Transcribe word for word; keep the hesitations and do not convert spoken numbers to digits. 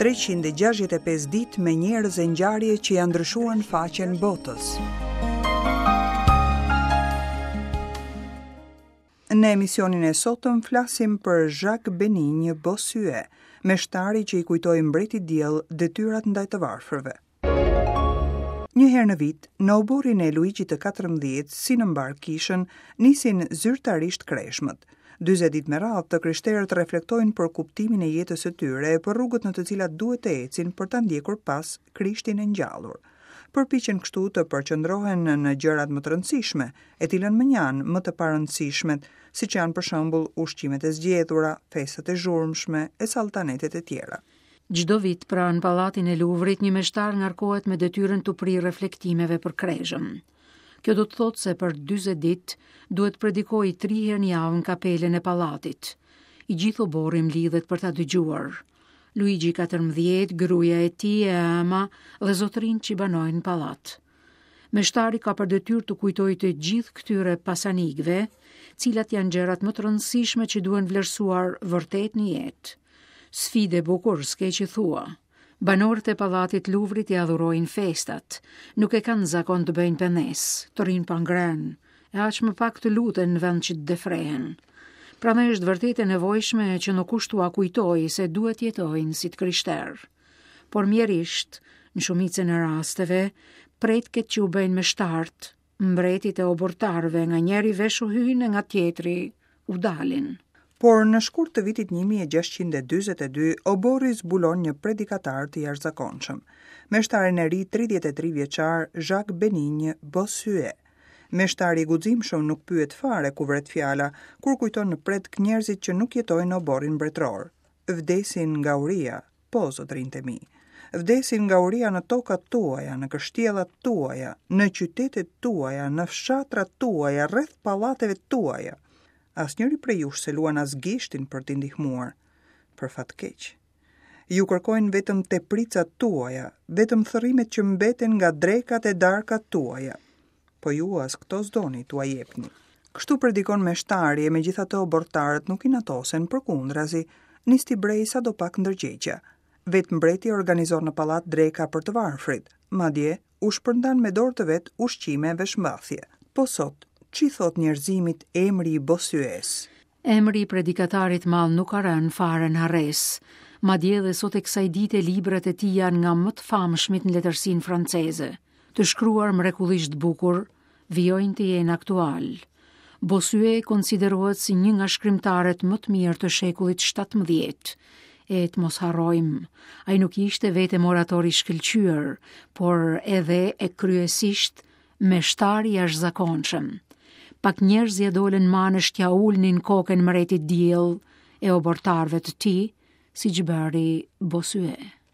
treqind e gjashtëdhjetë e pesë ditë me njerëz e ngjarje që janë ndryshuar në faqen botës. Në emisionin e sotëm flasim për Jacques Benigne Bossuet, meshtari që i kujtoi mbretit diell detyrat ndaj të varfërve. Një herë në vit, në oborrin e Luigjit të katërmbëdhjetë, si në mbar kishën, nisin zyrtarisht kreshmët. Dyzet ditë me radhë, të krishterët reflektojnë për kuptimin e jetës së tyre e për rrugët në të cilat duhet të ecin për ta ndjekur pas Krishtin e ngjallur. Përpiqen kështu të përqendrohen në gjërat më të rëndësishme, e t'i lënë mënjanë më të parëndësishmet, siç janë për shembull ushqimet e zgjedhura, festat e zhurmshme e saltanetet e tjera. Çdo vit pranë pallatin e Luvrit, një meshtar ngarkohet me detyrën të prijë reflektimeve për kreshëm. Kjo do të thotë se për dyzet ditë duhet predikoj tri herë në javë në kapelën e pallatit. I gjithë oborri mblidhet për ta dëgjuar. Luigi katërmbëdhjetë, gruaja e tij e ëma dhe zotërinë që banojnë në pallat. Meshtari ka për detyrë të kujtojë të gjithë këtyre pasanikëve, cilat janë gjërat më të rëndësishme që duhen vlerësuar vërtet në jetë. Sfidë e bukur, s'ke që thua. Banorët e pallatit Luvrit i adhurojnë festat, nuk e kanë zakon të bëjnë penes, të rrinë pa ngrënë, e aq më pak të luten në vend që të defrehen. Prandaj është vërtet e nevojshme që në kush t'ua kujtojë se duhet jetojnë si të krishterë. Por mjerisht, në shumicën e rasteve, pretket që u bëjnë me shtart, mbretit e obortarëve nga njëri vesh u hyjnë e nga tjetri u dalin. Por në shkurt të vitit një mijë e gjashtëqind e dyzet e dy, oborri zbulon një predikatar të jashtëzakonshëm, meshtarin e ri tridhjetë e tri vjeçar Jacques Benigne Bossuet. Meshtari i guximshëm nuk pyet fare ku vret fjala, kur kujton në predk njerëzit që nuk jetojnë në oborrin mbretëror. Vdesin nga uria, po zotërinjtë e mi. Vdesin nga uria në tokat tuaja, në kështjellat tuaja, në qytetet tuaja, në fshatrat tuaja, rreth pallateve tuaja. Asnjëri prej jush se luan as gishtin për t'i ndihmuar, për fat keq. Ju kërkojnë vetëm tepricat tuaja, vetëm thërrimet që mbeten nga drekat e darkat tuaja. Po ju as këto s'doni t'ua jepni. Kështu predikon meshtari e megjithatë obortarët nuk i natosen, përkundrazi, nis t'i brej sado pak ndërgjegja. Vetë mbreti organizon në pallat dreka për të varfrit, madje u shpërndan me dorë të vet ushqime e veshmbathje. Po sot, ç'i thot njerëzimit emri i Bossues? Emri i predikatarit madh nuk ka rënë fare në harresë. Madje edhe sot e kësaj dite librat e tij janë nga më të famshmit në letërsinë franceze. Të shkruar mrekullisht bukur, vijojnë të jenë aktual. Bossuet konsiderohet si një nga shkrimtarët më të mirë të shekullit shtatëmbëdhjetë. E të mos harrojmë, ai nuk ishte vetëm orator i shkëlqyer, por edhe e kryesisht meshtar i jashtëzakonshëm. Pak njerëz ja dolën manësh t'ja ulnin kokën mbretit diell e obortarëve të tij, siç bëri Bossuet.